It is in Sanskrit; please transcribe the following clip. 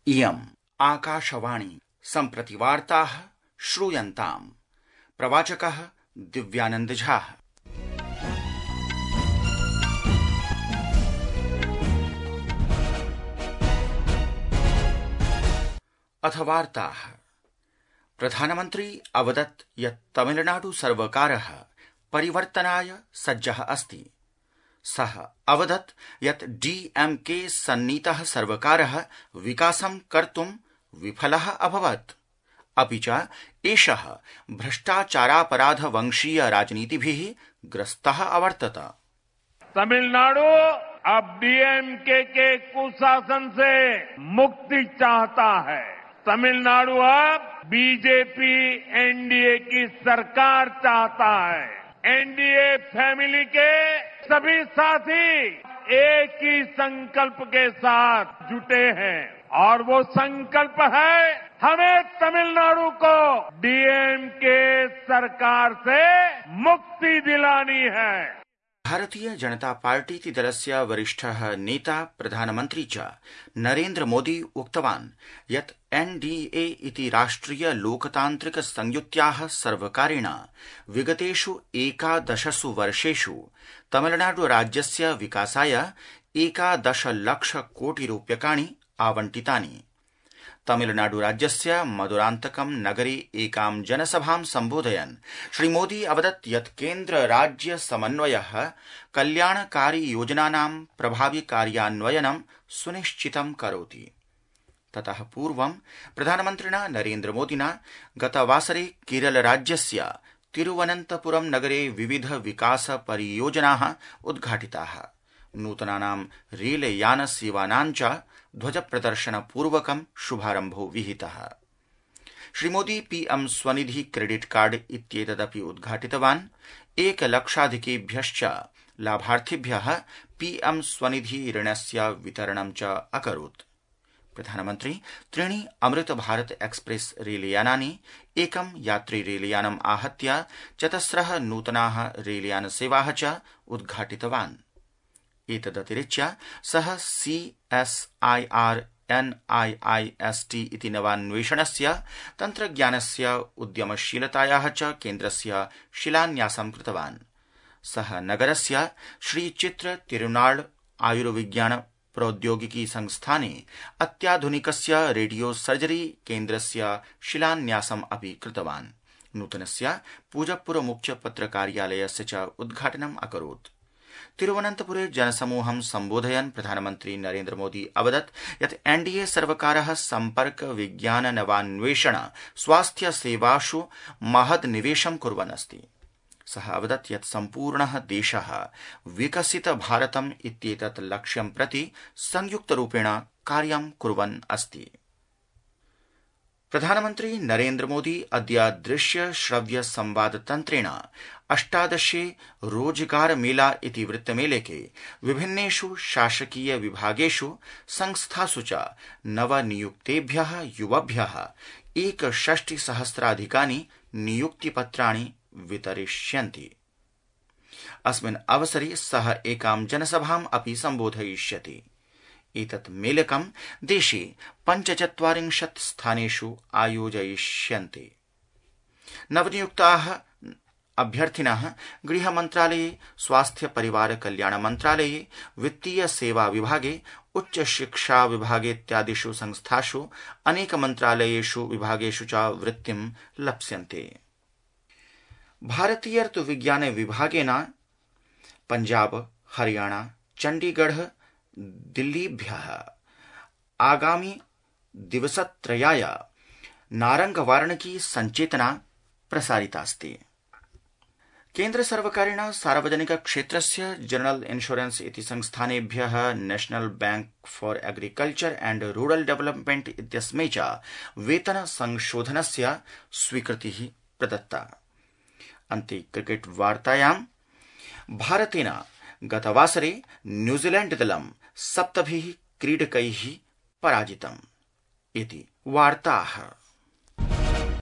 इयम् आकाशवाणी सम्प्रति वार्ताः श्रूयन्ताम्। प्रवाचकः दिव्यानंद झा। अथ वार्ताः। प्रधानमन्त्री अवदत् यत् तमिलनाडु सर्वकारः परिवर्तनाय सज्जः अस्ति। सः अवदत् यत् डीएमके सन्नीतः सर्वकारः विकासं कर्तुं विफलः अभवत्, अपि च एषः भ्रष्टाचारापराध वंशीय राजनीतिभिः ग्रस्तः अवर्तत। तमिलनाडु अब डीएमके के कुशासन से मुक्ति चाहता है। तमिलनाडु अब बीजेपी एनडीए की सरकार चाहता है। एनडीए फैमिली के सभी साथी एक ही संकल्प के साथ जुटे हैं और वो संकल्प है हमें तमिलनाडु को डीएमके सरकार से मुक्ति दिलानी है। भारतीय जनता पार्टी दलस्य वरिष्ठः नेता प्रधानमन्त्री च नरेन्द्र मोदी उक्तवान् यत् एनडीए इति राष्ट्रिय लोकतान्त्रिक संयुत्याः सर्वकारेण विगतेषु 11 वर्षेषु तमिलनाडु राज्यस्य विकासाय 11 लक्ष कोटि रूप्यकाणि आवंटितानि। तमिलनाडु राज्यस्य मदुरान्तकं नगरे एकां जनसभां सम्बोधयन् श्रीमोदी अवदत् यत् केन्द्र राज्य समन्वयः कल्याणकारी योजनानां प्रभावि कार्यान्वयनं सुनिश्चितं करोति। ततः पूर्वं प्रधानमन्त्रिणा नरेन्द्र मोदिना गतवासरे केरल राज्यस्य तिरुवनन्तपुरम नगरे विविध विकास परियोजनाः उद्घाटिताः। नूतनानां रेलयान सेवानां च ध्वज प्रदर्शन पूर्वकं शुभारम्भो विहितः। श्रीमोदी पीएम स्वनिधि क्रेडिट कार्ड इत्येतदपि उद्घाटितवान्। 1 लक्षाधिकेभ्यश्च लाभार्थिभ्यः पीएम स्वनिधि ऋणस्य वितरणं च अकरोत्। प्रधानमन्त्री 3 अमृत भारत एक्सप्रेस रेलयानानि, 1 यात्री रेलयानम् आहत्य 4 नूतनाः रेलयान सेवाः च उद्घाटितवान्। एतदतिरिच्य सः CSIR NIIST इति नवान्वेषणस्य तन्त्रज्ञानस्य उद्यमशीलतायाः च केन्द्रस्य शिलान्यासं कृतवान्। सः नगरस्य श्रीचित्र तिरुनाळ आयुर्विज्ञान प्रौद्योगिकी संस्थाने अत्याधुनिकस्य रेडियो सर्जरी केन्द्रस्य शिलान्यासम् अपि कृतवान्। नूतनस्य पूजप्पुर मुख्य पत्रकार्यालयस्य च उद्घाटनम् अकरोत्। तिरुवनन्तपुरे जनसमूहं सम्बोधयन् प्रधानमन्त्री नरेन्द्र मोदी अवदत् यत् एनडीए सर्वकारः सम्पर्क विज्ञान नवान्वेषण स्वास्थ्य सेवासु महद् निवेशं कुर्वन् अस्ति। सः अवदत् यत् सम्पूर्णः देशः विकसित भारतम् इत्येतत् लक्ष्यं प्रति संयुक्तरूपेण कार्यं कुर्वन् अस्ति। प्रधानमन्त्री नरेन्द्र मोदी अद्य दृश्य श्रव्य संवाद तन्त्रेण 18 रोजगार मेला इति वृत्तमेलके विभिन्नेषु शासकीय विभागेषु संस्थासु च नवनियुक्तेभ्यः युवभ्यः 61,000 नियुक्तिपत्राणि वितरिष्यन्ति। अस्मिन् अवसरे सः एकां जनसभाम् अपि सम्बोधयिष्यति। एतत् मेलकं देशे 45 स्थानेषु आयोजयिष्यन्ते। नवनियुक्ताः अभ्यर्थिनः गृहमन्त्रालये, स्वास्थ्य परिवार कल्याण मन्त्रालये, वित्तीय सेवा विभागे, उच्च शिक्षा विभागे इत्यादिषु संस्थासु अनेक मन्त्रालयेषु विभागेषु च वृत्तिं लप्स्यन्ते। भारतीय ऋतुविज्ञान विभागेन पंजाब, हरियाणा, चण्डीगढ़, दिल्लीभ्यः आगामि दिवसत्रयाय नारंगवार्णिकी संचेतना प्रसारितास्ति। केन्द्र सर्वकारेण सार्वजनिक क्षेत्रस्य जनरल इन्शुरेन्स इति संस्थानेभ्यः National Bank for Agriculture and Rural Development इत्यस्मै च वेतन संशोधनस्य स्वीकृतिः प्रदत्ता। अन्ते क्रिकेट वार्तायां भारतेन गतवासरे न्यूजीलैंड दलं 7 क्रीडकैः पराजितम् इति वार्ताः।